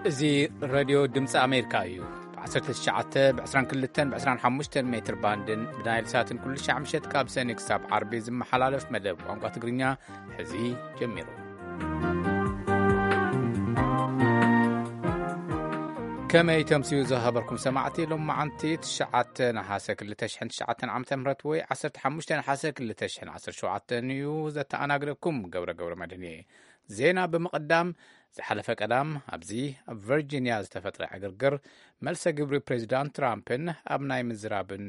እዚ ሬድዮ ድምፂ ኣሜሪካ እዩ። ብ19፣ ብ22፣ ብ25 ሜትር ባንድን ብናይል ሳትን ኩሉ ሻዕ ምሸት ካብ ሰኒ ክሳብ ዓርቢ ዝመሓላለፍ መደብ ቋንቋ ትግርኛ ሕዚ ጀሚሩ። ከመይ ተምስዩ ዝኸበርኩም ሰማዕቲ፣ ሎም መዓንቲ ትሽዓተ ነሓሰ ክልተ ሽሕን ትሽዓተን ዓመተ ምህረት ወይ ዓሰርተ ሓሙሽተ ነሓሰ ክልተ ሽሕን ዓሰርተ ሸውዓተን እዩ። ዘተኣናግደኩም ገብረ ገብረ መድህን እየ። ዜና ብምቕዳም፣ ዝሓለፈ ቀዳም ኣብዚ ኣብ ቨርጂንያ ዝተፈጥረ ዕግርግር፣ መልሰ ግብሪ ፕሬዚዳንት ትራምፕን ኣብ ናይ ምዝራብን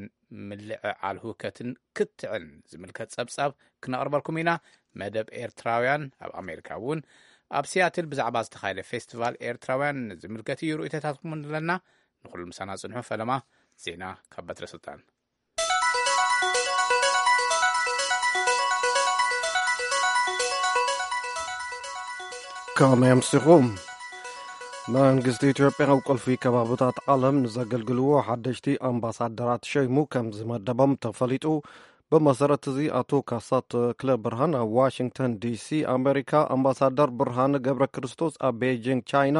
ምልዕዓል ህውከትን ክትዕን ዝምልከት ጸብጻብ ክነቕርበልኩም ኢና። መደብ ኤርትራውያን ኣብ ኣሜሪካ እውን ኣብ ሲያትል ብዛዕባ ዝተኻየደ ፌስቲቫል ኤርትራውያን ዝምልከት እዩ። ርእይቶታትኩም ኣለና። ንኹሉ ምሳና ጽንሑ። ፈለማ ዜና ካብ በትረ ስልጣን። ከመይ ኣምሲኹም? መንግስቲ ኢትዮጵያ ኣብ ቁልፊ ከባብታት ዓለም ንዘገልግልዎ ሓደሽቲ ኣምባሳደራት ሸይሙ ከም ዝመደቦም ተፈሊጡ። ብመሰረት እዚ ኣቶ ካሳ ተክለ ብርሃን ኣብ ዋሽንግተን ዲሲ ኣሜሪካ፣ ኣምባሳደር ብርሃነ ገብረ ክርስቶስ ኣብ ቤጂንግ ቻይና፣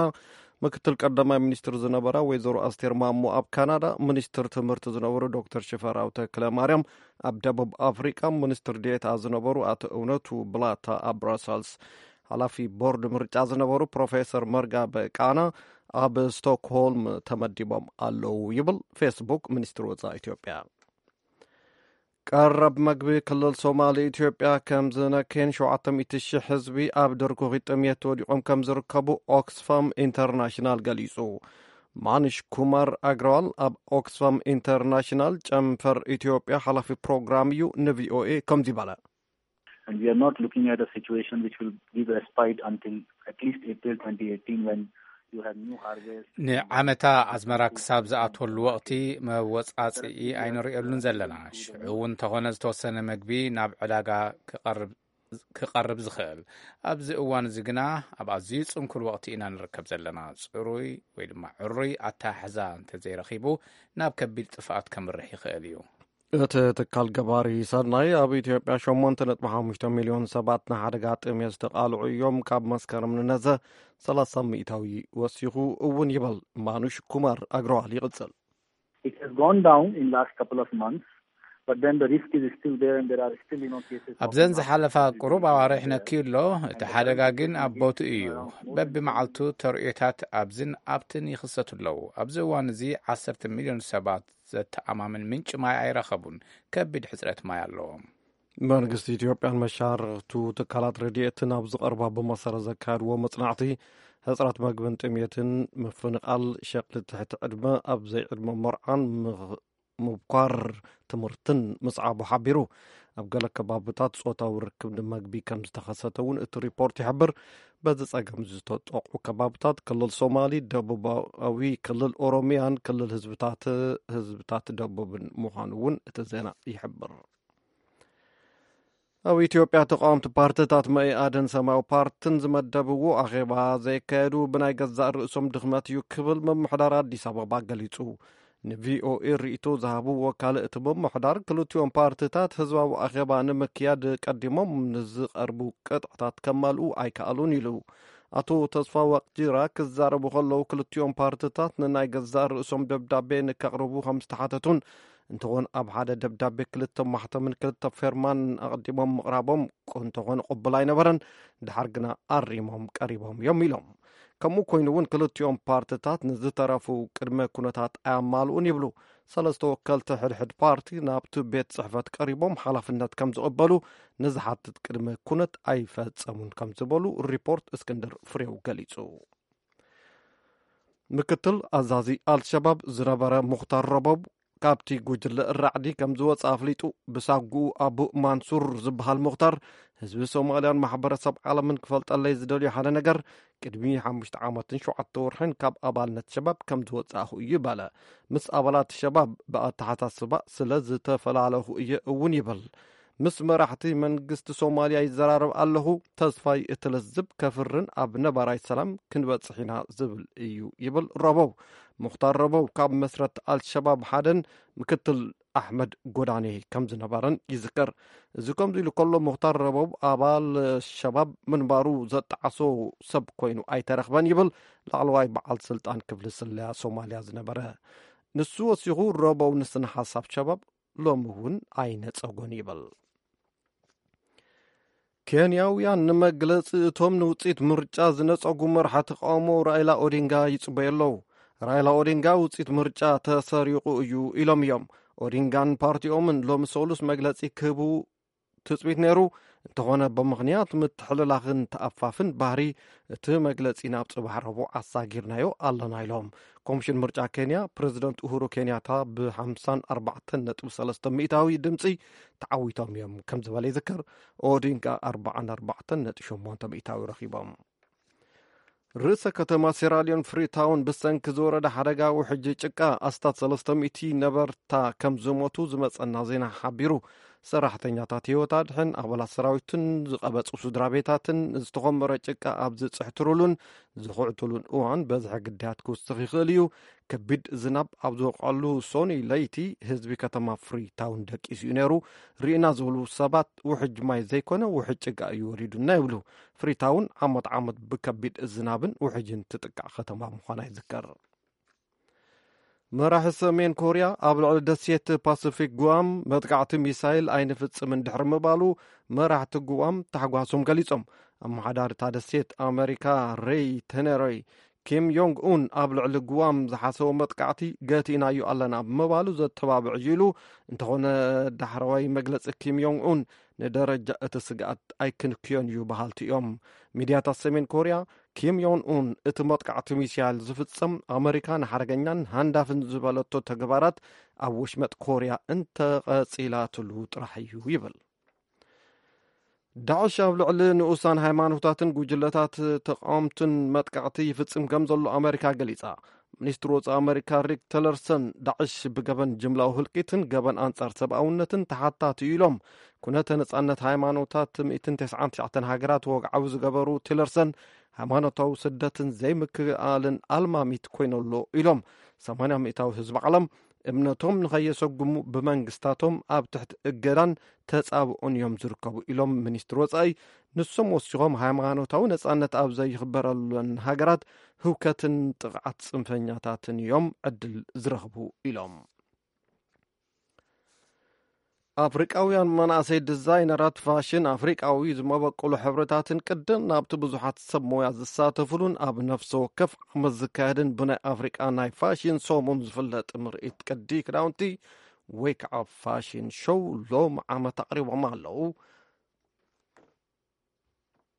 ምክትል ቀዳማይ ሚኒስትር ዝነበራ ወይዘሮ ኣስቴር ማሞ ኣብ ካናዳ፣ ሚኒስትር ትምህርቲ ዝነበሩ ዶክተር ሽፈራው ተክለ ማርያም ኣብ ደቡብ ኣፍሪቃ፣ ሚኒስትር ዴኤታ ዝነበሩ ኣቶ እውነቱ ብላታ ኣብ ብራሰልስ፣ ሓላፊ ቦርድ ምርጫ ዝነበሩ ፕሮፌሰር መርጋ በቃና ኣብ ስቶክሆልም ተመዲቦም ኣለዉ ይብል ፌስቡክ ሚኒስትሪ ወጻኢ ኢትዮጵያ። ቀረብ መግቢ ክልል ሶማሊ ኢትዮጵያ ከም ዝነክየን ሸውዓተ ሚእቲ ሺሕ ህዝቢ ኣብ ድርኩኺ ጥምየት ወዲቖም ከም ዝርከቡ ኦክስፋም ኢንተርናሽናል ገሊጹ። ማንሽ ኩማር ኣግረዋል ኣብ ኦክስፋም ኢንተርናሽናል ጨንፈር ኢትዮጵያ ሓላፊ ፕሮግራም እዩ ንቪኦኤ ከምዚ በለ። And we are not looking at a situation which will give respite until at least April twenty eighteen, when you have new harvest. ንዓመታ ኣዝመራ ክሳብ ዝኣትወሉ ወቕቲ መወጻጽኢ ኣይንርእየሉን ዘለና። ሽዑ እውን እንተኾነ ዝተወሰነ መግቢ ናብ ዕዳጋ ክቐርብ ክቐርብ ዝኽእል። ኣብዚ እዋን እዚ ግና ኣብ ኣዝዩ ጽንኩር ወቕቲ ኢና ንርከብ ዘለና። ጽሩይ ወይ ድማ ዕሩይ ኣተሓሕዛ እንተዘይረኺቡ ናብ ከቢድ ጥፍኣት ከምርሕ ይኽእል እዩ። እቲ ትካል ገባሪ ሰናይ ኣብ ኢትዮጵያ ሸሞንተ ነጥቢ ሓሙሽተ ሚልዮን ሰባት ንሓደጋ ጥሜት ዝተቓልዑ እዮም። ካብ መስከረም ንነዘ ሰላሳ ሚእታዊ ወሲኹ እውን ይበል። ማኑሽ ኩማር ኣግረዋል ይቕጽል። It has gone down in last couple of months, but then the risk is still there and there are still, you know, cases of ኣብዘን ዝሓለፋ ቁሩብ ኣዋርሕ ነክዩ ኣሎ። እቲ ሓደጋ ግን ኣብ ቦትኡ እዩ። በቢ መዓልቱ ተርእዮታት ኣብዝን ኣብትን ይኽሰቱ ኣለዉ። ኣብዚ እዋን እዚ ዓሰርተ ሚልዮን ሰባት ዘተኣማምን ምንጪ ማይ ኣይረኸቡን። ከቢድ ሕጽረት ማይ ኣለዎም። መንግስቲ ኢትዮጵያን መሻርኽቱ ትካላት ረድኤትን ኣብ ዝቐርባ ብመሰረት ዘካየድዎ መጽናዕቲ፣ ሕጽረት መግብን ጥሜትን፣ ምፍንቓል፣ ሸቕሊ ትሕቲ ዕድመ፣ ኣብ ዘይዕድመ መርዓን ምኽ-፣ ምብኳር ትምህርትን ምስዓቡ ሓቢሩ። ኣብ ገለ ከባብታት ጾታዊ ርክብ ንመግቢ ከም ዝተኸሰተ እውን እቲ ሪፖርት ይሕብር። በዚ ጸገም ዝተጠቕዑ ከባብታት ክልል ሶማሊ፣ ደቡባዊ ክልል ኦሮሚያን ክልል ህዝብታት፣ ህዝብታት ደቡብን ምዃኑ እውን እቲ ዜና ይሕብር። ኣብ ኢትዮጵያ ተቃወምቲ ፓርትታት መኢኣድን ሰማያዊ ፓርትን ዝመደብዎ ኣኼባ ዘየካየዱ ብናይ ገዛእ ርእሶም ድኽመት እዩ ክብል ምምሕዳር ኣዲስ ኣበባ ገሊጹ። ንቪኦኤ ርእይቶ ዝሃቡ ወካል እቲ ምምሕዳር፣ ክልቲኦም ፓርትታት ህዝባዊ ኣኼባ ንምክያድ ቀዲሞም ንዝቐርቡ ቅጥዕታት ከማልኡ ኣይከኣሉን ኢሉ። ኣቶ ተስፋ ዋቅጅራ ክዛረቡ ከለዉ፣ ክልቲኦም ፓርትታት ንናይ ገዛእ ርእሶም ደብዳቤ ንከቕርቡ ከም ዝተሓተቱን፣ እንተኾን ኣብ ሓደ ደብዳቤ ክልተ ማሕተምን ክልተ ፌርማን ኣቐዲሞም ምቕራቦም እንተኾነ ቅቡል ኣይነበረን። ድሓር ግና ኣሪሞም ቀሪቦም እዮም ኢሎም። ከምኡ ኮይኑ እውን ክልቲኦም ፓርትታት ንዝተረፉ ቅድመ ኩነታት ኣያማልኡን ይብሉ። ሰለስተ ወከልቲ ሕድሕድ ፓርቲ ናብቲ ቤት ጽሕፈት ቀሪቦም ሓላፍነት ከም ዝቕበሉ ንዝሓትት ቅድመ ኩነት ኣይፈጸሙን ከም ዝበሉ ሪፖርት እስክንድር ፍሬው ገሊጹ። ምክትል ኣዛዚ ኣልሸባብ ዝነበረ ሙኽታር ረቦብ፣ ካብቲ ጉጅለ ራዕዲ ከም ዝወጸ ኣፍሊጡ። ብሳጉኡ ኣቡ ማንሱር ዝበሃል ሙኽታር፣ ህዝቢ ሶማልያን ማሕበረሰብ ዓለምን ክፈልጠለይ ዝደልዮ ሓደ ነገር፣ ቅድሚ ሓሙሽተ ዓመትን ሸውዓተ ወርሕን ካብ ኣባልነት ሸባብ ከም ዝወጻእኹ እዩ በለ። ምስ ኣባላት ሸባብ ብኣተሓሳስባ ስለ ዝተፈላለኹ እየ እውን ይብል። ምስ መራሕቲ መንግስቲ ሶማልያ ይዘራረብ ኣለኹ። ተስፋይ እቲ ለዝብ ከፍርን ኣብ ነባራይ ሰላም ክንበጽሕ ኢና ዝብል እዩ ይብል ረቦብ። ሙኽታር ረበው ካብ መስረት ኣልሸባብ ሓደን ምክትል ኣሕመድ ጎዳኔ ከም ዝነበረን ይዝከር። እዚ ከምዚ ኢሉ ከሎ፣ ሙኽታር ረበው ኣባል ሸባብ ምንባሩ ዘጠዓሶ ሰብ ኮይኑ ኣይተረኽበን ይብል ላዕለዋይ በዓል ስልጣን ክፍሊ ስለያ ሶማልያ ዝነበረ። ንሱ ወሲኹ፣ ረበው ንስነ ሓሳብ ሸባብ ሎሚ እውን ኣይነጸጎን ይብል። ኬንያውያን ንመግለጺ እቶም ንውጽኢት ምርጫ ዝነጸጉ መራሒ ተቃውሞ ራይላ ኦዲንጋ ይጽበዩ ኣለዉ። ራይላ ኦዲንጋ ውጽኢት ምርጫ ተሰሪቑ እዩ ኢሎም እዮም። ኦዲንጋን ፓርቲኦምን ሎሚ ሰሉስ መግለጺ ክህቡ ትጽቢት ነይሩ። እንተኾነ፣ ብምኽንያት ምትሕልላኽን ተኣፋፍን ባህሪ፣ እቲ መግለጺ ናብ ጽባሕ ረቡዕ ኣሳጊርናዮ ኣለና ኢሎም። ኮሚሽን ምርጫ ኬንያ፣ ፕረዚደንት ኡሁሩ ኬንያታ ብ54.3 ሚእታዊ ድምጺ ተዓዊቶም እዮም ከም ዝበለ ይዝከር። ኦዲንጋ ኣርባዓን ኣርባዕተን ነጥቢ ሸሞንተ ሚእታዊ ረኺቦም። ርእሰ ከተማ ሴራሊዮን ፍሪታውን ብሰንኪ ዝወረደ ሓደጋ ውሕጅ ጭቃ ኣስታት ሰለስተ ሚእቲ ነበርታ ከም ዝሞቱ ዝመጸና ዜና ሓቢሩ። ሰራሕተኛታት ህይወት ኣድሕን፣ ኣባላት ሰራዊትን ዝቐበጹ ስድራ ቤታትን ዝተኾመረ ጭቃ ኣብ ዝጽሕትሩሉን ዝኹዕትሉን እዋን በዝሒ ግዳያት ክውስኽ ይኽእል እዩ። ከቢድ ዝናብ ኣብ ዝወቕዐሉ ሶኒ ለይቲ ህዝቢ ከተማ ፍሪታውን ደቂሱ እዩ ነይሩ። ርኢና ዝብሉ ሰባት ውሕጅ ማይ ዘይኮነ ውሕጅ ጭቃ እዩ ወሪዱና ይብሉ። ፍሪታውን ዓመት ዓመት ብከቢድ ዝናብን ውሕጅን ትጥቃዕ ከተማ ምዃና ይዝከር። መራሒ ሰሜን ኮርያ ኣብ ልዕሊ ደሴት ፓሲፊክ ጉዋም መጥቃዕቲ ሚሳይል ኣይንፍጽምን ድሕሪ ምባሉ፣ መራሕቲ ጉዋም ታሕጓሶም ገሊጾም። ኣመሓዳሪ እታ ደሴት ኣመሪካ ሬይ ተነሮይ፣ ኪም ዮንግ ኡን ኣብ ልዕሊ ጉዋም ዝሓሰቦ መጥቃዕቲ ገቲእናዮ ኣለና ብምባሉ ዘተባብዕ እዩ ኢሉ። እንተኾነ፣ ዳሕረዋይ መግለጺ ኪም ዮንግ ኡን ንደረጃ እቲ ስግኣት ኣይክንክዮን እዩ በሃልቲ እዮም። ሚድያታት ሰሜን ኮርያ፣ ኪም ዮን ኡን እቲ መጥቃዕቲ ሚሳይል ዝፍጸም ኣመሪካ ንሓደገኛን ሃንዳፍን ዝበለቶ ተግባራት ኣብ ወሽመጥ ኮርያ እንተቐጺላትሉ ጥራሕ እዩ ይብል። ዳዕሽ ኣብ ልዕሊ ንኡሳን ሃይማኖታትን ጉጅለታት ተቃወምትን መጥቃዕቲ ይፍጽም ከም ዘሎ ኣመሪካ ገሊጻ። ሚኒስትሪ ወጻኢ ኣመሪካ ሪክ ቲለርሰን፣ ዳዕሽ ብገበን ጅምላዊ ህልቂትን ገበን ኣንጻር ሰብኣውነትን ተሓታቲ እዩ ኢሎም። ኩነተ ነጻነት ሃይማኖታት ሚእትን ተስዓን ትሽዓተን ሃገራት ወግዓዊ ዝገበሩ ቲለርሰን፣ ሃይማኖታዊ ስደትን ዘይምክእኣልን ኣልማሚት ኮይኑ ኣሎ ኢሎም። ሰማንያ ሚእታዊ ህዝቢ ዓለም እምነቶም ንኸየሰጉሙ ብመንግስታቶም ኣብ ትሕቲ እገዳን ተጻብኦን እዮም ዝርከቡ ኢሎም ሚኒስትሪ ወጻኢ። ንሶም ወሲኾም፣ ሃይማኖታዊ ነጻነት ኣብ ዘይኽበረለን ሃገራት ህውከትን ጥቕዓት ጽንፈኛታትን እዮም ዕድል ዝረኽቡ ኢሎም። ኣፍሪቃውያን መናእሰይ ዲዛይነራት ፋሽን ኣፍሪቃዊ ዝመበቆሉ ሕብርታትን ቅድን ናብቲ ብዙሓት ሰብ ሞያ ዝሳተፉሉን ኣብ ነፍሲ ወከፍ ዓመት ዝካየድን ብናይ ኣፍሪቃ ናይ ፋሽን ሰሙን ዝፍለጥ ምርኢት ቅዲ ክዳውንቲ ወይ ከዓ ፋሽን ሾው ሎም ዓመት ኣቕሪቦም ኣለዉ።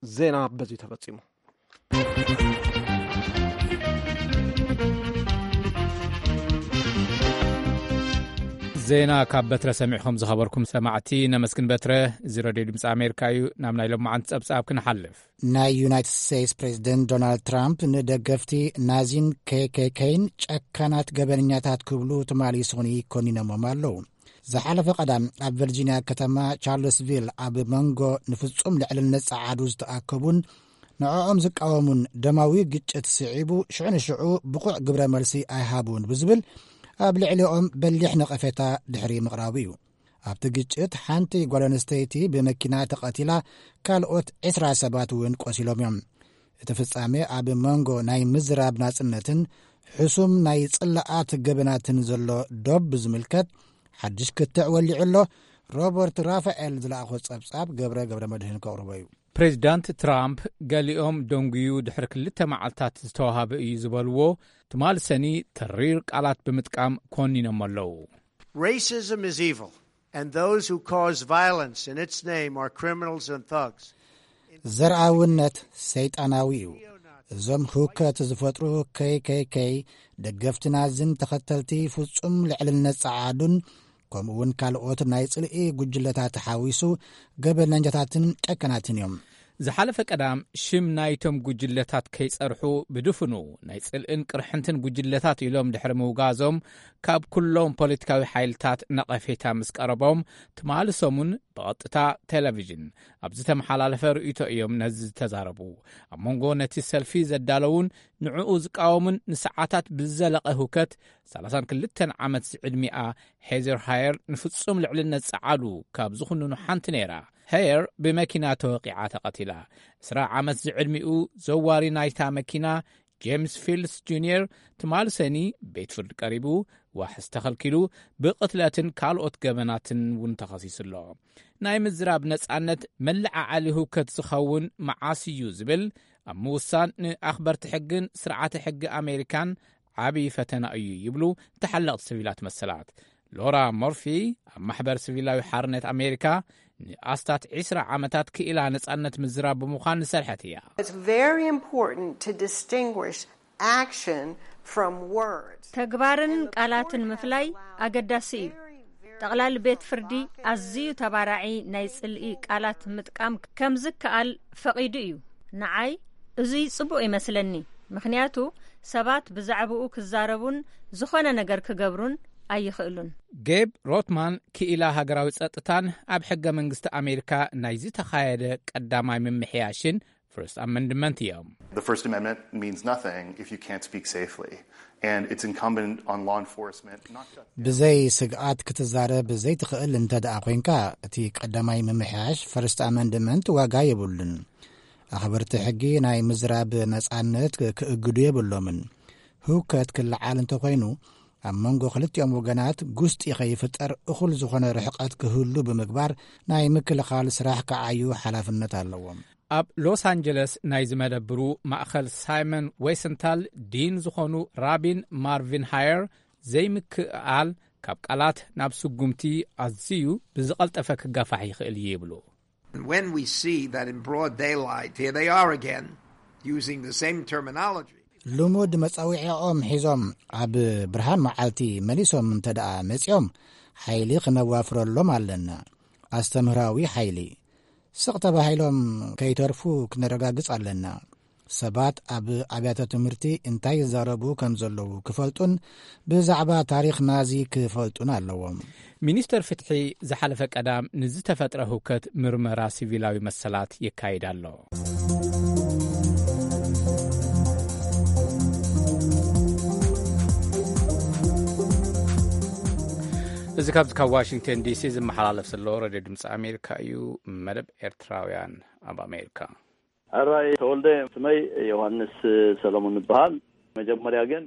ዜና በዚ ተፈጺሙ። ዜና ካብ በትረ ሰሚዕኹም ዝኸበርኩም ሰማዕቲ ነመስግን በትረ። እዚ ረድዮ ድምፂ ኣሜሪካ እዩ። ናብ ናይ ሎማዓንቲ ጸብጻብ ክንሓልፍ። ናይ ዩናይትድ ስቴትስ ፕሬዚደንት ዶናልድ ትራምፕ ንደገፍቲ ናዚን ኬ ኬ ኬን ጨካናት ገበነኛታት ክብሉ ትማሊ ሶኒ ኮኒኖሞም ኣለዉ። ዝሓለፈ ቀዳም ኣብ ቨርጂንያ ከተማ ቻርልስቪል ኣብ መንጎ ንፍጹም ልዕልነት ጸዓዱ ዝተኣከቡን ንዕኦም ዝቃወሙን ደማዊ ግጭት ስዒቡ ሽዑ ንሽዑ ብቑዕ ግብረ መልሲ ኣይሃቡን ብዝብል ኣብ ልዕሊኦም በሊሕ ነቐፌታ ድሕሪ ምቕራቡ እዩ። ኣብቲ ግጭት ሓንቲ ጓል ኣንስተይቲ ብመኪና ተቐቲላ፣ ካልኦት ዕስራ ሰባት እውን ቆሲሎም እዮም። እቲ ፍጻሜ ኣብ መንጎ ናይ ምዝራብ ናጽነትን ሕሱም ናይ ጽላኣት ገበናትን ዘሎ ዶብ ብዝምልከት ሓድሽ ክትዕ ወሊዑ ኣሎ። ሮበርት ራፋኤል ዝለኣኾ ጸብጻብ ገብረ ገብረ መድህን ከቕርቦ እዩ። ፕሬዚዳንት ትራምፕ ገሊኦም ደንጉዩ ድሕሪ ክልተ መዓልታት ዝተዋሃበ እዩ ዝበልዎ ትማል ሰኒ ተሪር ቃላት ብምጥቃም ኮኒኖም ኣለዉ። Racism is evil, and those who cause violence in its name are criminals and thugs. ዘርኣውነት ሰይጣናዊ እዩ። እዞም ህውከት ዝፈጥሩ ከይ ከይ ከይ ደገፍቲ ናዝን ተኸተልቲ ፍጹም ልዕልነት ጸዓዱን ከምኡ እውን ካልኦት ናይ ጽልኢ ጉጅለታት ሓዊሱ ገበነኛታትን ጨከናትን እዮም። ዝሓለፈ ቀዳም ሽም ናይቶም ጉጅለታት ከይጸርሑ ብድፍኑ ናይ ጽልእን ቅርሕንትን ጉጅለታት ኢሎም ድሕሪ ምውጋዞም ካብ ኩሎም ፖለቲካዊ ሓይልታት ነቐፌታ ምስ ቀረቦም ትማሊ ሰሙን ብቐጥታ ቴሌቪዥን ኣብ ዝተመሓላለፈ ርእይቶ እዮም ነዚ ዝተዛረቡ። ኣብ መንጎ ነቲ ሰልፊ ዘዳለዉን ንዕኡ ዝቃወሙን ንሰዓታት ብዝዘለቐ ህውከት ሰላሳን ክልተን ዓመት ዝዕድሚኣ ሄዘር ሃየር ንፍጹም ልዕልነት ጸዓዱ ካብ ዝኹንኑ ሓንቲ ነይራ። ሃየር ብመኪና ተወቂዓ ተቐቲላ። ዕስራ ዓመት ዝዕድሚኡ ዘዋሪ ናይታ መኪና ጄምስ ፊልስ ጁኒየር ትማሊ ሰኒ ቤት ፍርዲ ቀሪቡ ዋሕስ ተኸልኪሉ ብቕትለትን ካልኦት ገበናትን እውን ተኸሲሱ ኣሎ። ናይ ምዝራብ ነጻነት መለዓዓሊ ህውከት ዝኸውን መዓስ እዩ ዝብል ኣብ ምውሳን ንኣኽበርቲ ሕግን ስርዓተ ሕጊ ኣሜሪካን ዓብዪ ፈተና እዩ ይብሉ ተሓለቕቲ ሲቪላት መሰላት። ሎራ ሞርፊ ኣብ ማሕበር ሲቪላዊ ሓርነት ኣሜሪካ ንኣስታት ዕስራ ዓመታት ክኢላ ነጻነት ምዝራብ ብምዃን ዝሰርሐት እያ። It's very important to distinguish action from words. ተግባርን ቃላትን ምፍላይ ኣገዳሲ እዩ። ጠቕላሊ ቤት ፍርዲ ኣዝዩ ተባራዒ ናይ ጽልኢ ቃላት ምጥቃም ከም ዝከኣል ፈቒዱ እዩ። ንዓይ እዙይ ጽቡቕ ይመስለኒ፣ ምኽንያቱ ሰባት ብዛዕባኡ ክዛረቡን ዝኾነ ነገር ክገብሩን ኣይኽእሉን። ጌብ ሮትማን ክኢላ ሃገራዊ ጸጥታን ኣብ ሕገ መንግስቲ ኣሜሪካ ናይ ዝተኻየደ ቀዳማይ ምምሕያሽን ፈርስት ኣመንድመንት እዮም። The First Amendment means nothing if you can't speak safely. And it's incumbent on law enforcement not just ብዘይ ስግኣት ክትዛረብ ዘይትኽእል እንተ ደኣ ኮይንካ፣ እቲ ቀዳማይ ምምሕያሽ ፈርስት ኣመንድመንት ዋጋ የብሉን። ኣኽበርቲ ሕጊ ናይ ምዝራብ ነጻነት ክእግዱ የብሎምን። ህውከት ክለዓል እንተኾይኑ፣ ኣብ መንጎ ክልቲኦም ወገናት ጉስጢ ከይፍጠር እኹል ዝኾነ ርሕቀት ክህሉ ብምግባር ናይ ምክልኻል ስራሕ ክዓዩ ሓላፍነት ኣለዎም። ኣብ ሎስ ኣንጀለስ ናይ ዝመደብሩ ማእኸል ሳይመን ዌሰንታል ዲን ዝኾኑ ራቢን ማርቪን ሃየር ዘይምክእኣል ካብ ቃላት ናብ ስጉምቲ ኣዝዩ ብዝቐልጠፈ ክጋፋሕ ይኽእል እዩ ይብሉ። And when we see that in broad daylight, here they are again, using the same terminology. ልሙድ መጻዊዒኦም ሒዞም ኣብ ብርሃን መዓልቲ መሊሶም እንተ ደኣ መጺኦም፣ ሓይሊ ክነዋፍረሎም ኣለና። ኣስተምህራዊ ሓይሊ። ስቕ ተባሂሎም ከይተርፉ ክነረጋግጽ ኣለና። ሰባት ኣብ ኣብያተ ትምህርቲ እንታይ ይዛረቡ ከም ዘለዉ ክፈልጡን ብዛዕባ ታሪኽ ናዚ ክፈልጡን ኣለዎም። ሚኒስተር ፍትሒ ዝሓለፈ ቀዳም ንዝተፈጥረ ህውከት ምርመራ ሲቪላዊ መሰላት የካይድ ኣሎ። እዚ ካብዚ ካብ ዋሽንግተን ዲሲ ዝመሓላለፍ ዘሎ ሬድዮ ድምፂ ኣሜሪካ እዩ። መደብ ኤርትራውያን ኣብ ኣሜሪካ። ሕራይ ተወልደ፣ ስመይ ዮሃንስ ሰለሙን ይበሃል። መጀመርያ ግን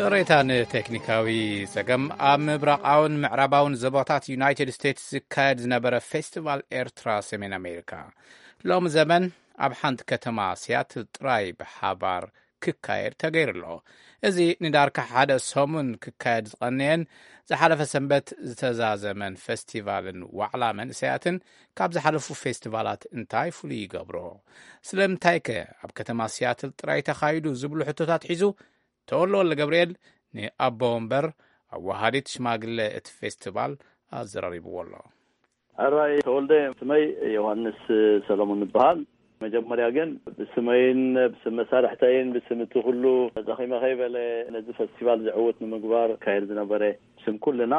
ይቕሬታ ንቴክኒካዊ ጸገም። ኣብ ምብራቓውን ምዕራባውን ዞባታት ዩናይትድ ስቴትስ ዝካየድ ዝነበረ ፌስቲቫል ኤርትራ ሰሜን ኣሜሪካ ሎም ዘመን ኣብ ሓንቲ ከተማ ሲያትል ጥራይ ብሓባር ክካየድ ተገይሩ ኣሎ። እዚ ንዳርካ ሓደ ሰሙን ክካየድ ዝቐነየን ዝሓለፈ ሰንበት ዝተዛዘመን ፌስቲቫልን ዋዕላ መንእሰያትን ካብ ዝሓለፉ ፌስቲቫላት እንታይ ፍሉይ ይገብሮ? ስለምንታይከ ኣብ ከተማ ሲያትል ጥራይ ተኻይዱ ዝብሉ ሕቶታት ሒዙ ተወልደ ወልደገብርኤል ንኣቦ ወንበር ኣወሃዲት ሽማግለ እቲ ፌስቲቫል ኣዘራሪብዎ ኣሎ። ሕራይ ተወልደ፣ ስመይ ዮሃንስ ሰለሙን ይበሃል። መጀመርያ ግን ብስመይን ብስም መሳርሕተይን ብስም እቲ ኩሉ ደኺመ ከይበለ ነዚ ፈስቲቫል ዝዕውት ንምግባር ካየድ ዝነበረ ብስም ኩልና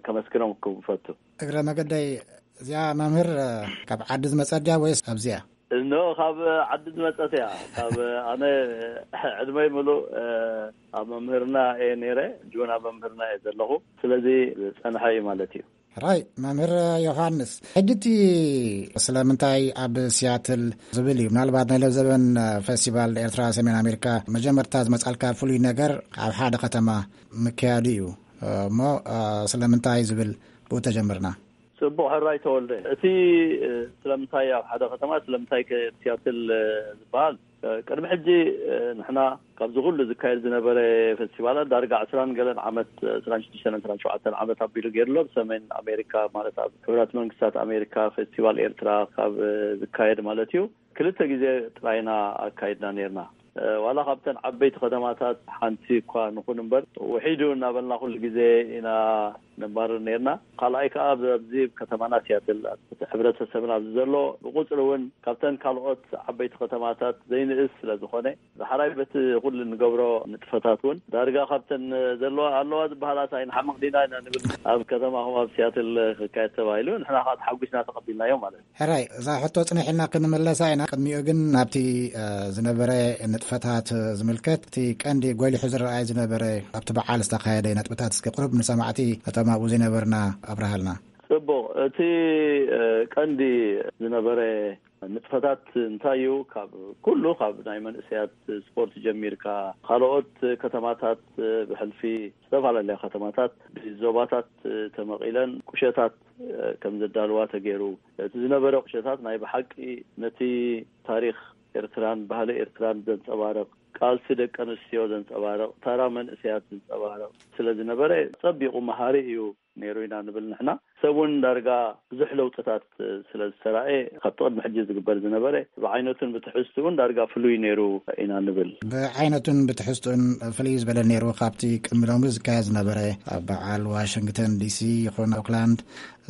ከመስግኖም ክፈቱ። እግረ መገደይ፣ እዚኣ መምህር ካብ ዓዲ ዝመጸት ድያ ወይስ ኣብዚኣ? እኖ ካብ ዓዲ ዝመጸት እያ። ካብ ኣነ ዕድመይ ምሉእ ኣብ መምህርና እየ ነይረ። ጁን ኣብ መምህርና እየ ዘለኹ። ስለዚ ዝጸንሐ እዩ ማለት እዩ። ሕራይ መምህር ዮሃንስ፣ ሕጂ እቲ ስለምንታይ ኣብ ሲያትል ዝብል እዩ። ምናልባት ናይ ለዘበን ፌስቲቫል ኤርትራ ሰሜን ኣሜሪካ መጀመርታ ዝመጻልካ ፍሉይ ነገር ኣብ ሓደ ከተማ ምክያዱ እዩ። እሞ ስለምንታይ ዝብል ብኡ ተጀምርና። ጽቡቕ ሕራይ ተወልደ፣ እቲ እ፣ ስለምንታይ ኣብ ሓደ ከተማ ስለምንታይ ከ ሲያትል እ፣ ዝበሃል እ፣ ቅድሚ ሕጂ እ፣ ንሕና ካብዚ ኩሉ ዝካየድ ዝነበረ ፌስቲቫላት ዳርጋ ዕስራን ገለን ዓመት፣ ዕስራን ሽዱሽተን ዕስራን ሸውዓተን ዓመት ኣቢሉ ገይሩ ኣሎ። ብሰሜን ኣሜሪካ ማለት ኣብ ሕቡራት መንግስታት ኣሜሪካ ፌስቲቫል ኤርትራ ካብ እ፣ ዝካየድ ማለት እዩ። ክልተ ግዜ ጥራይና ኣካይድና ነርና። እ፣ ዋላ ካብተን ዓበይቲ ከተማታት ሓንቲ እኳ ንኹን እምበር፣ ውሒዱ እናበልና ኩሉ ግዜ ኢና ነባርር ነርና። ካልኣይ ከኣ ኣብዚ ከተማና ሲያትል እቲ ሕብረተሰብና ኣብዚ ዘሎ ብቁጽሪ እውን ካብተን ካልኦት ዓበይቲ ከተማታት ዘይንእስ ስለ ዝኾነ፣ ዳሕራይ በቲ ኩሉ እንገብሮ ንጥፈታት እውን ዳርጋ ካብተን ዘለዋ ኣለዋ ዝበሃላት ኣይንሓምቕ ዲና ኢና ንብል። ኣብ ከተማኹም ኣብ ሲያትል ክካየድ ተባሂሉ ንሕና ከዓ ተሓጒስና ተቐቢልናዮ ማለት እዩ። ሕራይ፣ እዛ ሕቶ ጽንሕ ኢልና ክንምለሳ ኢና። ቅድሚኡ ግን ናብቲ እ፣ ዝነበረ ንጥፈታት ዝምልከት እቲ ቀንዲ ጎሊሑ ዝረኣይ ዝነበረ ኣብቲ በዓል ዝተኻየደ ነጥብታት እስኪ ቁሩብ ንሰማዕቲ ነቶም ኣብኡ ዘይነበርና ኣብርሃልና። ጽቡቕ። እቲ እ፣ ቀንዲ ዝነበረ ንጥፈታት እንታይ እዩ? ካብ ኩሉ ካብ ናይ መንእሰያት ስፖርት ጀሚርካ ካልኦት ከተማታት ብሕልፊ ዝተፈላለያ ከተማታት ብዞባታት ተመቒለን ቁሸታት ከም ዘዳልዋ ተገይሩ። እቲ ዝነበረ ቁሸታት ናይ ብሓቂ ነቲ ታሪኽ ኤርትራን ባህሊ ኤርትራን ዘንጸባርቕ፣ ቃልሲ ደቂ ኣንስትዮ ዘንጸባርቕ፣ ታራ መንእሰያት ዘንጸባርቕ ስለ ዝነበረ ጸቢቑ መሃሪ እዩ ነይሩ ኢና ንብል ንሕና። ሰብ እውን ዳርጋ ብዙሕ ለውጥታት ስለ ዝተራእየ ካብቲ ቅድሚ ሕጂ ዝግበር ዝነበረ ብዓይነቱን ብትሕዝትኡን ዳርጋ ፍሉይ ነይሩ ኢና ንብል። ብዓይነቱን ብትሕዝትኡን ፍልይ ዝበለ ነይሩ ካብቲ ቅድሚ ሎሚ ዝካየድ ዝነበረ ኣብ በዓል ዋሽንግተን ዲሲ ይኹን ኦክላንድ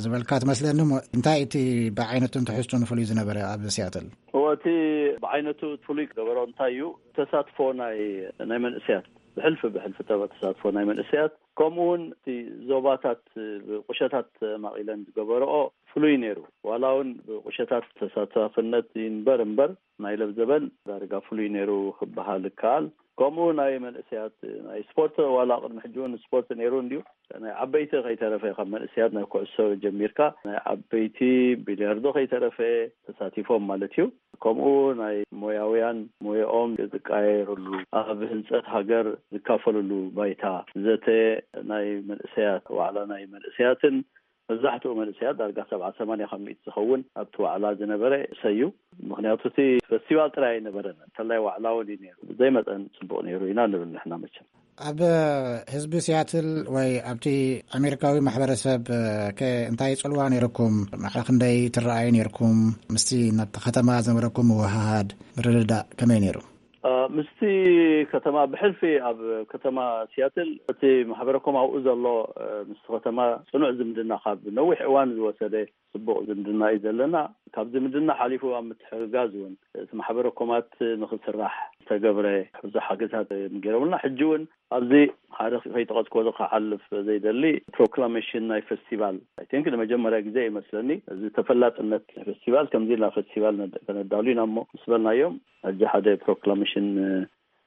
ዝበልካ ትመስለኒ። እሞ እንታይ እቲ ብዓይነቱን ትሕዝቱን ፍሉይ ዝነበረ ኣብ ሲያትል? እዎ፣ እቲ ብዓይነቱ ፍሉይ ዝገበሮ እንታይ እዩ? ተሳትፎ ናይ ናይ መንእሰያት፣ ብሕልፊ ብሕልፊ ተባ- ተሳትፎ ናይ መንእሰያት፣ ከምኡ እውን እቲ ዞባታት ብቁሸታት ማቒለን ዝገበረኦ ፍሉይ ነይሩ። ዋላ እውን ብቁሸታት ተሳታፍነት ይንበር እምበር ናይ ለብዘበን ዳርጋ ፍሉይ ነይሩ ክበሃል ይከኣል። ከምኡ ናይ መንእሰያት ናይ ስፖርት፣ ዋላ ቅድሚ ሕጂ እውን ስፖርት ነይሩ እንድዩ፣ ናይ ዓበይቲ ከይተረፈ፣ ካብ መንእሰያት ናይ ኩዕሶ ጀሚርካ ናይ ዓበይቲ ቢልያርዶ ከይተረፈ ተሳቲፎም ማለት እዩ። ከምኡ ናይ ሞያውያን ሞያኦም ዝቃየሩሉ፣ ኣብ ህንጸት ሃገር ዝካፈሉሉ ባይታ፣ ዘተ ናይ መንእሰያት፣ ዋዕላ ናይ መንእሰያትን መብዛሕትኡ መንእሰያት ዳርጋ ሰብዓ ሰማንያ ካብ ሚእቲ ዝኸውን ኣብቲ ዋዕላ ዝነበረ ሰዩ። ምኽንያቱ እቲ ፈስቲቫል ጥራይ ኣይነበረን፣ እንተላይ ዋዕላ እውን እዩ ነይሩ። ብዘይ መጠን ጽቡቕ ነይሩ ኢና ንብል ንሕና መቸም። ኣብ ህዝቢ ሲያትል ወይ ኣብቲ ኣሜሪካዊ ማሕበረሰብ ከ እንታይ ጽልዋ ነይርኩም? ማዕረ ክንደይ ትረኣዩ ነይርኩም? ምስቲ ናብቲ ከተማ ዝነበረኩም ምውህሃድ ምርድዳእ ከመይ ነይሩ? እ፣ ምስቲ ከተማ ብሕልፊ ኣብ ከተማ ሲያትል እቲ ማሕበረኮም ኣብኡ ዘሎ እ፣ ምስቲ ከተማ ጽኑዕ ዝምድና ካብ ነዊሕ እዋን ዝወሰደ ጽቡቕ ዝምድና እዩ ዘለና። ካብ ዝምድና ሓሊፉ ኣብ ምትሕግጋዝ እውን እቲ ማሕበረኮማት ንኽስራሕ ዝተገብረ ብዙሕ ሓገዛት ገይሮምልና። ሕጂ እውን ኣብዚ ሓደ ከይጠቐስክዎ ክሓልፍ ዘይደሊ ፕሮክላሜሽን ናይ ፈስቲቫል፣ ኣይ ቲንክ ንመጀመርያ ግዜ ይመስለኒ እዚ ተፈላጥነት ናይ ፈስቲቫል። ከምዚ ኢልና ፈስቲቫል ነድ- ከነዳሉ ኢና እሞ ምስ በልናዮም ሕጂ ሓደ ፕሮክላሜሽን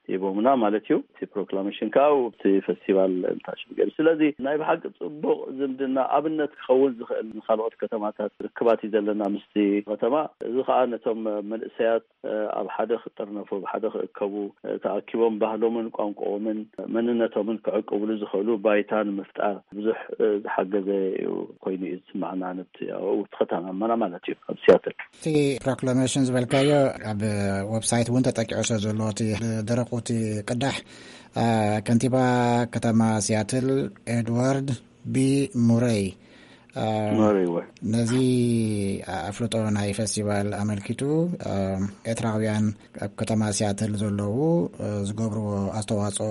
ሂቦምና ማለት እዩ። እቲ ፕሮክላሜሽን ከዓ ኣብቲ ፈስቲቫል እንታሽም ገይሩ። ስለዚ ናይ ብሓቂ ጽቡቕ ዝምድና ኣብነት ክኸውን ዝኽእል ንካልኦት ከተማታት ርክባት እዩ ዘለና ምስቲ ከተማ። እዚ ከዓ ነቶም መንእሰያት እ፣ ኣብ ሓደ ክጥርነፉ፣ ኣብ ሓደ ክእከቡ፣ እ፣ ተኣኪቦም ባህሎምን ቋንቋኦምን መንነቶምን ክዕቅብሉ ዝኽእሉ ባይታ ንምፍጣር ብዙሕ እ፣ ዝሓገዘ እዩ ኮይኑ እዩ ዝስማዕና። ነቲ ኣብኡ እቲ ከተማና ማለት እዩ ኣብ ሲያትል። እቲ ፕሮክላሜሽን ዝበልካዮ ኣብ ዌብሳይት እውን ተጠቂዑ ስለ ዘሎ እቲ ደረቑ እቲ ቅዳሕ እ፣ ከንቲባ ከተማ ሲያትል ኤድዋርድ ቢ ሙረይ እ፣ መሪወ ነዚ ኣፍልጦ ናይ ፈስቲቫል ኣመልኪቱ እ፣ ኤርትራውያን ኣብ ከተማ ሲያትል ዘለዉ እ፣ ዝገብርዎ ኣስተዋፅኦ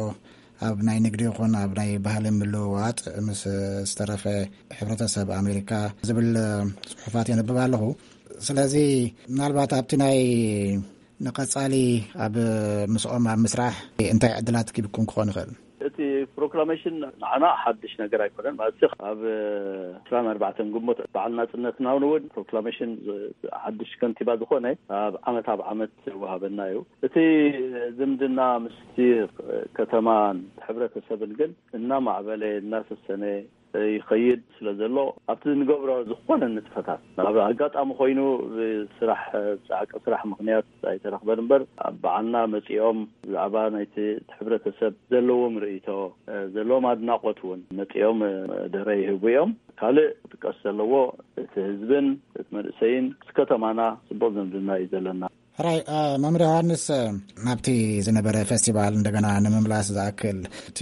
ኣብ ናይ ንግዲ ይኹን ኣብ ናይ ባህሊ ምልውዋጥ ምስ ዝተረፈ ሕብረተሰብ ኣሜሪካ ዝብል እ፣ ፅሑፋት የንብብ ኣለኹ። ስለዚ ምናልባት ኣብቲ ናይ ንቐጻሊ ኣብ ምስኦም ኣብ ምስራሕ እንታይ ዕድላት ኪብኩም ክኾን ይኽእል? እቲ ፕሮክላሜሽን ንዓና ሓድሽ ነገር ኣይኮነን። ማለት ኣብ ዕስራን ኣርባዕተን ግንቦት በዓል ናጽነትና እውን እውን ፕሮክላሜሽን ዝ- ሓድሽ ከንቲባ ዝኾነ ኣብ ዓመት ኣብ ዓመት ይወሃበና እዩ። እቲ ዝምድና ምስቲ ከተማን ሕብረተሰብን ግን እናማዕበለ እናሰሰነ ይኸይድ ስለ ዘሎ፣ ኣብቲ ንገብሮ ዝኾነ ንጥፈታት፣ ናብ ኣጋጣሚ ኮይኑ ብስራሕ፣ ጻዕቂ ስራሕ ምኽንያት ኣይተረኽበን እምበር፣ ኣብ በዓልና መጺኦም ብዛዕባ ናይቲ እቲ ሕብረተሰብ ዘለዎም ርእይቶ፣ ዘለዎም ኣድናቖት እውን መጺኦም መደረ ይህቡ እዮም። ካልእ ክጥቀስ ዘለዎ፣ እቲ ህዝብን እቲ መንእሰይን ምስ ከተማና ጽቡቕ ዝምድና እዩ ዘለና። ሕራይ፣ እ፣ መምህር ዮሃንስ፣ እ፣ ናብቲ ዝነበረ ፌስቲቫል እንደገና ንምምላስ ዝኣክል፣ እቲ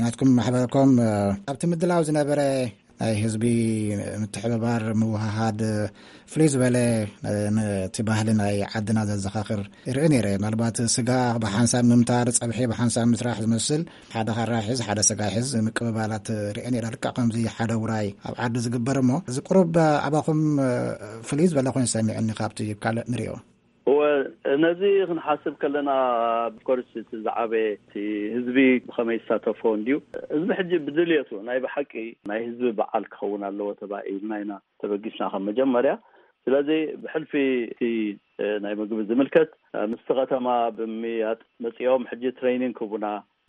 ናትኩም ማሕበርኩም፣ እ፣ ኣብቲ ምድላው ዝነበረ ናይ ህዝቢ ምትሕብባር፣ ምውህሃድ፣ እ፣ ፍልይ ዝበለ፣ እ፣ ነቲ ባህሊ ናይ ዓድና ዘዘኻኽር ይርኢ ነይረ። ምናልባት ስጋ ብሓንሳብ ምምታር፣ ጸብሒ ብሓንሳብ ምስራሕ ዝመስል፣ ሓደ ካራ ሒዝ፣ ሓደ ስጋ ሒዝ ምቅብባላት ርእየ ነይረ። ልክዕ ከምዚ ሓደ ውራይ ኣብ ዓዲ ዝግበር እሞ፣ እዚ ቁሩብ ኣባኹም፣ እ፣ ፍልይ ዝበለ ኮይኑ ሰሚዑኒ ካብቲ ካልእ ንሪኦ። እወ፣ ነዚ ክንሓስብ ከለና፣ ኦፍኮርስ፣ እቲ ዝዓበየ እቲ ህዝቢ ብኸመይ ይሳተፎ እንድዩ። ህዝቢ ሕጂ ብድልየቱ፣ ናይ ብሓቂ ናይ ህዝቢ በዓል ክኸውን ኣለዎ ተባሂልና ኢና ተበጊስና ከም መጀመርያ። ስለዚ ብሕልፊ እቲ፣ እ፣ ናይ ምግቢ ዝምልከት፣ እ፣ ምስቲ ከተማ ብምምይያጥ መጺኦም ሕጂ ትሬኒንግ ክህቡና፣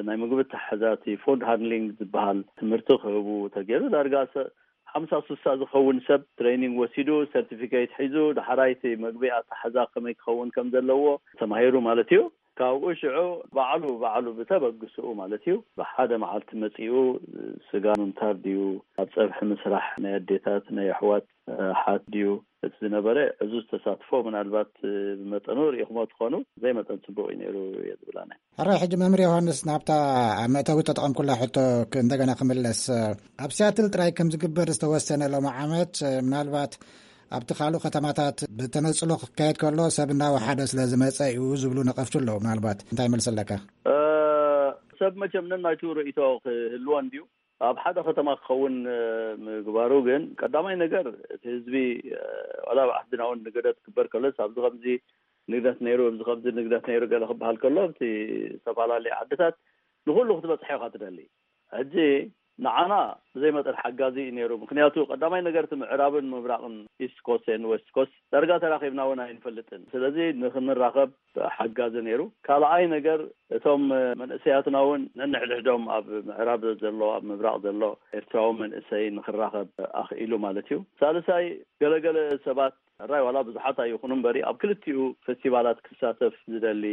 ናይ ምግቢ ኣተሓሕዛ፣ እቲ ፉድ ሃንድሊንግ ዝበሃል ትምህርቲ ክህቡ ተገይሩ። ዳርጋ ሰ-፣ ሓምሳ ስሳ ዝኸውን ሰብ ትሬኒንግ ወሲዱ፣ ሰርቲፊኬት ሒዙ፣ ዳሕራይ እቲ ምግቢ ኣተሓሕዛ ከመይ ክኸውን ከም ዘለዎ ተማሂሩ ማለት እዩ። ካብኡ ሽዑ ባዕሉ፣ ባዕሉ ብተበግስኡ ማለት እዩ፣ ብሓደ መዓልቲ መጺኡ፣ ስጋ ምምታር ድዩ፣ ኣብ ጸብሒ ምስራሕ ናይ ኣዴታት፣ ናይ ኣሕዋት፣ ኣሓት ድዩ፣ እቲ ዝነበረ ዕዙዝ ተሳትፎ፣ ምናልባት ብመጠኑ ርኢኹሞ ትኾኑ፣ ዘይመጠን ጽቡቕ እዩ ነይሩ እየ ዝብል ኣነ። ሕራይ፣ ሕጂ መምህር ዮሃንስ፣ ናብታ ኣብ መእተዊ ተጠቐምኩላ ሕቶ ክ-፣ እንደገና ክምለስ፣ ኣብ ሲያትል ጥራይ ከም ዝግበር ዝተወሰነ ሎሚ ዓመት፣ ምናልባት ኣብቲ ካልእ ከተማታት ብተነጽሎ ክካየድ ከሎ ሰብ እናወሓደ ስለ ዝመጸ እዩ ዝብሉ ነቐፍቱ ኣለዉ። ምናልባት እንታይ መልሲ ኣለካ? እ፣ ሰብ መቸም ነናይቱ ርእይቶ ክህልዎ እንድዩ። ኣብ ሓደ ከተማ ክኸውን፣ እ፣ ምግባሩ ግን ቀዳማይ ነገር እቲ ህዝቢ፣ እ፣ ዋላ ኣብ ዓድና እውን ንግደት ክግበር ከሎስ ኣብዚ ከምዚ ንግደት ነይሩ፣ ኣብዚ ከምዚ ንግደት ነይሩ ገለ ክበሃል ከሎ፣ ኣብቲ ዝተፈላለየ ዓድታት ንኹሉ ክትበጽሖ ኢኻ ትደሊ። ሕጂ ንዓና ብዘይ መጠን ሓጋዚ እዩ ነይሩ። ምኽንያቱ ቀዳማይ ነገር እቲ ምዕራብን ምብራቕን፣ ኢስት ኮስት ኤንድ ዌስት ኮስት፣ ዳርጋ ተራኺብና እውን ኣይንፈልጥን። ስለዚ ንኽንራኸብ ሓጋዚ ነይሩ። ካልኣይ ነገር እቶም መንእሰያትና እውን ነንሕድሕዶም ኣብ ምዕራብ ዘሎ፣ ኣብ ምብራቕ ዘሎ ኤርትራዊ መንእሰይ ንኽራኸብ ኣኽኢሉ ማለት እዩ። ሳልሳይ ገለገለ ሰባት ሕራይ ዋላ ብዙሓት ኣይኹኑ እምበሪ ኣብ ክልቲኡ ፌስቲቫላት ክሳተፍ ዝደሊ፣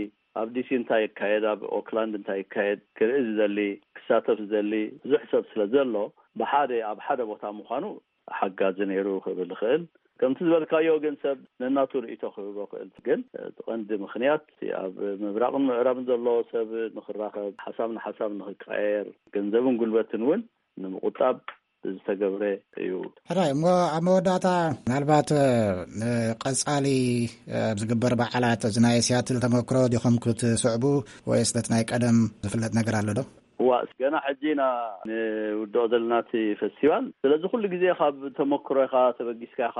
ኣብ ዲሲ እንታይ ይካየድ፣ ኣብ ኦክላንድ እንታይ ይካየድ ክርኢ ዝደሊ፣ ክሳተፍ ዝደሊ ብዙሕ ሰብ ስለ ዘሎ፣ ብሓደ ኣብ ሓደ ቦታ ምዃኑ ሓጋዚ ነይሩ ክብል ይኽእል። ከምቲ ዝበልካዮ ግን ሰብ ነናቱ ርእይቶ ክህቦ ክእል። ግን እቲ ቀንዲ ምኽንያት ኣብ ምብራቕን ምዕራብን ዘሎ ሰብ ንኽራኸብ፣ ሓሳብ ንሓሳብ ንኽቀያየር፣ ገንዘብን ጉልበትን እውን ንምቑጣብ ዝተገብረ እዩ። ሕራይ፣ እሞ ኣብ መወዳእታ ምናልባት፣ እ፣ ንቐጻሊ፣ እ፣ ኣብ ዝግበር በዓላት እዚ ናይ ሲያትል ተመክሮ ዲኹም ክትስዕቡ ወይስ ነቲ ናይ ቀደም ዝፍለጥ ነገር ኣሎ ዶ? እዋ፣ ገና ሕጂ ኢና ንውድኦ ዘለና እቲ ፌስቲቫል። ስለዚ ኩሉ ግዜ ካብ ተመክሮ ኢኻ ተበጊስካ ኢኻ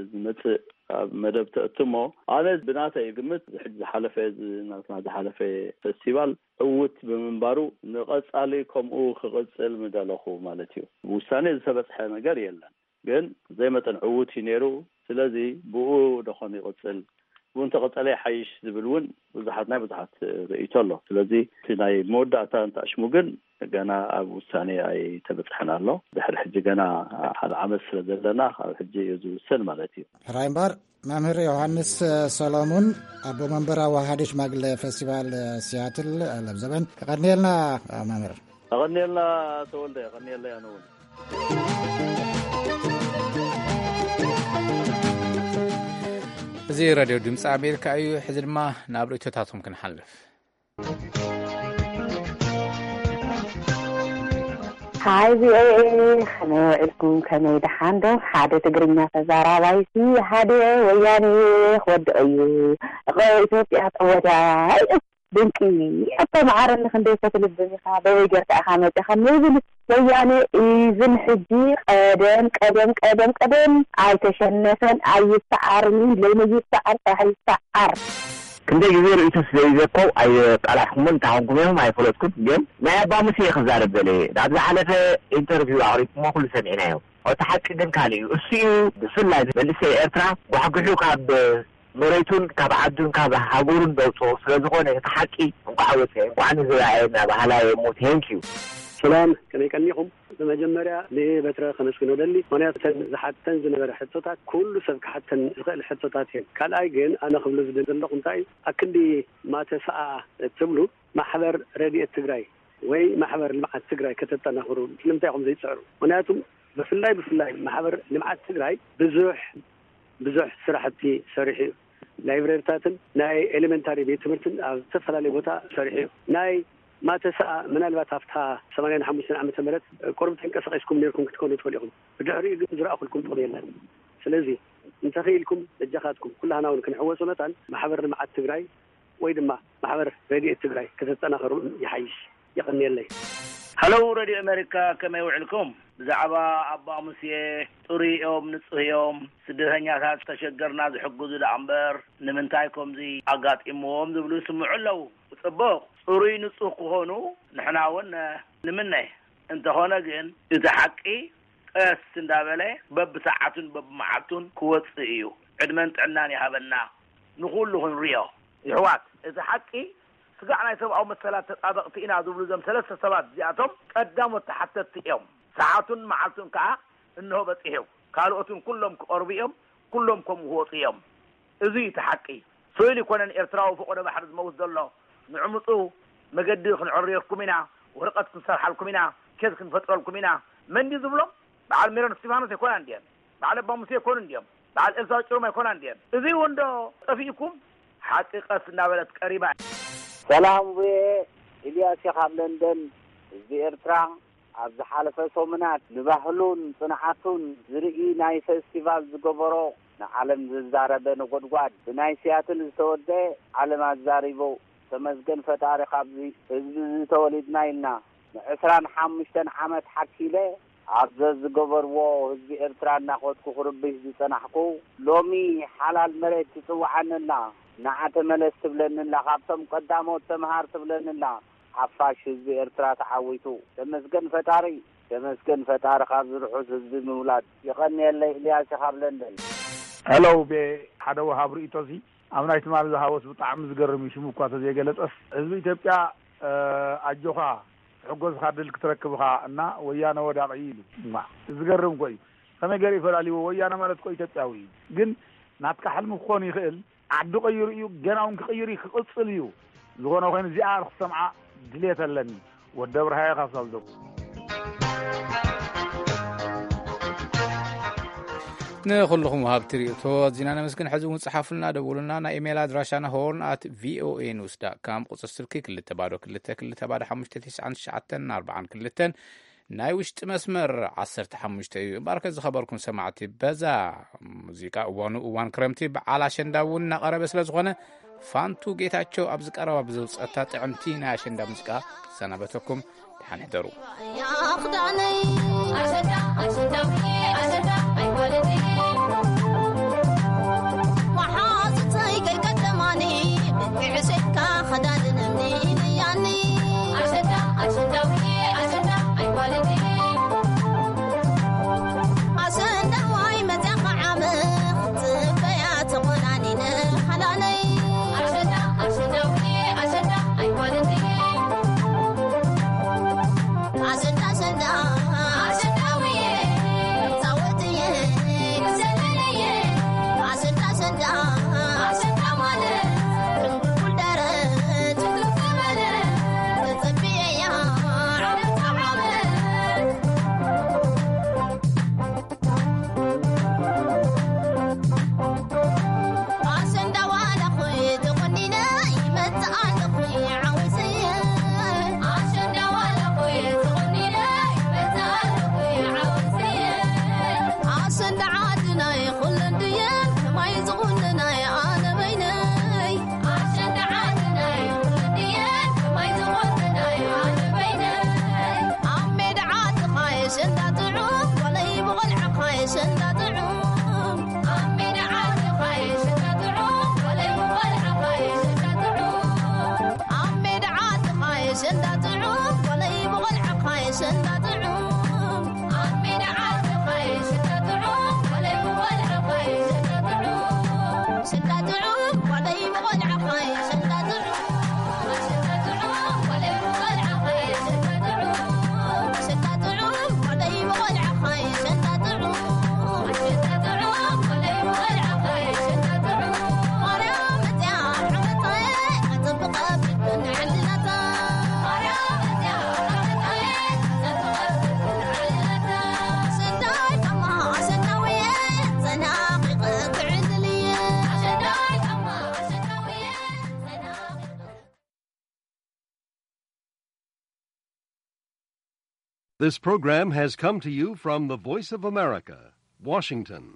ዝመጽእ፣ ኣብ መደብ ተእትሞ። ኣነ ብናተይ ግምት ሕጂ ዝሓለፈ፣ እዚ ናትና ዝሓለፈ ፌስቲቫል ዕዉት ብምንባሩ ንቐጻሊ ከምኡ ክቕጽል ምደለኹ ማለት እዩ። ብውሳኔ ዝተበጽሐ ነገር የለን፣ ግን ዘይመጠን ዕዉት እዩ ነይሩ። ስለዚ ብኡ ደኾን ይቕጽል፣ ብኡ እንተቐጸለ ይሓይሽ ዝብል እውን ብዙሓት፣ ናይ ብዙሓት ርእይቶ ኣሎ። ስለዚ እቲ ናይ መወዳእታ እንተኣሽሙ ግን ገና ኣብ ውሳኔ ኣይተበጽሐን ኣሎ። ድሕሪ ሕጂ ገና ሓደ ዓመት ስለ ዘለና ካብ ሕጂ እዩ ዝውሰን ማለት እዩ። ሕራይ እምበር፣ መምህር ዮሃንስ ሰሎሙን፣ ኣቦ መንበር ኣዋሃዲ ሽማግለ ፌስቲቫል ሲያትል ለብዘበን፣ የቐንየልና መምህር። የቐንየልና ተወልደ፣ የቐንየለይ ኣነ እውን። እዚ ሬድዮ ድምፂ ኣሜሪካ እዩ። ሕዚ ድማ ናብ ርእይቶታትኩም ክንሓልፍ። ሃይ ቪኦኤ፣ ከመይ ውዒልኩም? ከመይ ደሓን ዶ? ሓደ ትግርኛ ተዛራባይሲ ሃደ ወያኔ ክወድቕ እዩ። ኢትዮጵያ ተወዳይ ድንቂ። ኣቶ መዓረኒ ክንደይ ፈትልብን ኢኻ፣ በበይ ጌርካ ኢኻ መጺኻ ንብል ወያኔ ኢቭን ሕጂ ቀደም፣ ቀደም፣ ቀደም፣ ቀደም ኣይተሸነፈን፣ ኣይሰዓርን፣ ሎሚ ይሰዓር፣ ጽባሕ ይሰዓር። ክንደይ ግዜ ርእይቶ ስለ ይዘኮው ኣይቃላሕኩምን፣ እንታይ ኮንኩም ኢኹም ኣይፈለጥኩን፣ ግን ናይ ኣባ ሙሴ ክዛረብ ደለ። ኣብ ዝሓለፈ ኢንተርቪው ኣቕሪብኩሞ ኩሉ ሰሚዕናዮ። እቲ ሓቂ ግን ካልእ እዩ። እሱ እዩ ብፍላይ መንእሰይ ኤርትራ ጓሕጉሑ ካብ መሬቱን ካብ ዓዱን ካብ ሃገሩን ዘውፅኦ ስለ ዝኾነ እቲ ሓቂ እንቋዕ ወፀ፣ እንቋዕ ንዝረኣየ እናበሃላ እየ እሞ፣ ቴንክ ዩ። ሰላም፣ ከመይ ቀኒኹም? ብመጀመርያ ንበትረ ከመስግኖ ደሊ፣ ምኽንያቱ እተን ዝሓተን ዝነበረ ሕቶታት ኩሉ ሰብ ክሓተን ዝኽእል ሕቶታት እየን። ካልኣይ ግን ኣነ ክብሎ ዝደሊ ዘለኹ እንታይ እዩ፣ ኣክንዲ ማተሰኣ እትብሉ ማሕበር ረድኤት ትግራይ ወይ ማሕበር ልምዓት ትግራይ ከተጠናኽሩ ስለምንታይ ኢኹም ዘይፅዕሩ? ምኽንያቱም ብፍላይ ብፍላይ ማሕበር ልምዓት ትግራይ ብዙሕ ብዙሕ ስራሕቲ ሰሪሑ እዩ። ላይብረሪታትን ናይ ኤሌመንታሪ ቤት ትምህርትን ኣብ ዝተፈላለዩ ቦታ ሰሪሑ እዩ። ናይ ማተሰኣ ምናልባት ኣብታ ሰማንያን ሓሙሽተን ዓመተ ምህረት ቁሩብ ተንቀሳቒስኩም ነርኩም ክትኮኑ ትኽእሉ ኢኹም። ብድሕሪኡ ግን ዝረኣኹልኩም ጥቕሚ የለን። ስለዚ እንተኽኢልኩም በጃኻትኩም ኩላህና እውን ክንሕወሶ መታን ማሕበር ልምዓት ትግራይ ወይ ድማ ማሕበር ረድኤት ትግራይ ከተጠናኸሩ ይሓይሽ። የቐንየለይ። ሃለው ረድዮ ኣሜሪካ፣ ከመይ ውዕልኩም? ብዛዕባ ኣባ ሙሴ፣ ጽሩይ እዮም፣ ንጹህ እዮም፣ ስደተኛታት ተሸገርና ዝሕግዙ ደኣ እምበር ንምንታይ ከምዚ ኣጋጢምዎም ዝብሉ ይስምዑ ኣለዉ። ጽቡቕ፣ ጽሩይ ንጹህ ክኾኑ ንሕና እውን ንምነ። እንተኾነ ግን እቲ ሓቂ ቀስ እንዳበለ በብሰዓቱን በብመዓልቱን ክወጽእ እዩ። ዕድመን ጥዕናን ይሃበና ንኹሉ ክንሪኦ። ይሕዋት፣ እቲ ሓቂ ስጋዕ ናይ ሰብኣዊ መሰላት ተጣበቕቲ ኢና ዝብሉ እዞም ሰለስተ ሰባት እዚኣቶም ቀዳሞት ተሓተትቲ እዮም። ሰዓቱን መዓልቱን ከኣ እንሆ በጺሑ። ካልኦትን ኩሎም ክቐርቡ እዮም፣ ኩሎም ከምኡ ክወጹ እዮም። እዚ እዩ እቲ ሓቂ። ስእሊ ይኮነን ኤርትራዊ ፈቆዶ ባሕሪ ዝመውት ዘሎ። ንዕምጹ መገዲ ክንዕርየኩም ኢና፣ ወረቐት ክንሰርሓልኩም ኢና፣ ኬዝ ክንፈጥረልኩም ኢና። መን ድዩ ዝብሎም? በዓል ሜሮን እስቲፋኖስ ኣይኮናን ድየን? በዓል ኣባ ሙሴ ኣይኮኑን ድዮም? በዓል ኤልሳ ጭሩም ኣይኮናን ድየን? እዚ እውን ዶ ጠፊእኩም? ሓቂ ቀስ እናበለት ቀሪባ። ሰላም፣ ቡኤ ኢልያስ ካብ ለንደን። ህዝቢ ኤርትራ ኣብ ዝሓለፈ ሰሙናት ንባህሉን ጽንዓቱን ዝርኢ ናይ ፌስቲቫል ዝገበሮ፣ ንዓለም ዘዛረበ ነጎድጓድ፣ ብናይ ሲያትል ዝተወደአ፣ ዓለም ኣዛሪቡ። ተመስገን ፈጣሪ፣ ካብዚ ህዝቢ እዚ ተወሊድና ኢልና። ንዕስራን ሓሙሽተን ዓመት ሓኪለ ኣብ ዘዝገበርዎ ህዝቢ ኤርትራ እናኸድኩ ክርብሽ ዝጸናሕኩ፣ ሎሚ ሓላል መሬት ትጽውዓኒ ኣላ። ንዓ ተመለስ ትብለኒ ኣላ። ካብቶም ቀዳሞት ተምሃር ትብለኒ ኣላ። ሓፋሽ ህዝቢ ኤርትራ ተዓዊቱ። ተመስገን ፈጣሪ፣ ተመስገን ፈጣሪ ካብዚ ርሑስ ህዝቢ ምውላድ። የቐንየለይ፣ ኢልያስ ካብ ለንደን። ሄሎ፣ ቤ ሓደ ወሃብ ርእይቶሲ ኣብ ናይ ትማሊ ዝሃቦስ ብጣዕሚ ዝገርም እዩ። ሽሙ እኳ ተዘይገለጸስ፣ ህዝቢ ኢትዮጵያ፣ እ፣ ኣጆኻ፣ ትሕጎስኻ ድል ክትረክብ ኢኻ እና ወያነ ወዳቒ ኢሉ። እማ፣ ዝገርም እኮ እዩ። ከመይ ገይሩ እዩ ፈላልይዎ? ወያነ ማለት እኮ ኢትዮጵያዊ እዩ። ግን ናትካ ሕልሚ ክኾን ይኽእል፣ ዓዲ ቀይሩ እዩ፣ ገና እውን ክቕይር እዩ፣ ክቕጽል እዩ። ዝኾነ ኮይኑ እዚኣ ክትሰምዓ ድሌት ኣለኒ። ወዲ ኣብርሃየ ካብ ሳልዶብ። ንኹልኹም ወሃብቲ ርእይቶ ኣዚና ነመስግን። ሕዚ እውን ጽሓፉልና፣ ደውሉልና። ናይ ኢሜይል ኣድራሻና ሆርን ኣት ቪኦኤ ኒውስ ዳት ካም፣ ቁጽሪ ስልኪ ክልተ ባዶ ክልተ ክልተ ባዶ ሓሙሽተ ትሽዓን ትሽዓተን ኣርባዓን ክልተን፣ ናይ ውሽጢ መስመር ዓሰርተ ሓሙሽተ እዩ። እምበኣርከ ዝኸበርኩም ሰማዕቲ፣ በዛ ሙዚቃ እዋኑ እዋን ክረምቲ በዓል ኣሸንዳ እውን እናቐረበ ስለ ዝኾነ፣ ፋንቱ ጌታቸው ኣብዚ ቀረባ ብዘውፀታ ጥዕምቲ ናይ ኣሸንዳ ሙዚቃ ክሰናበተኩም። ደሓን ሕደሩ። This program has come to you from the Voice of America, Washington.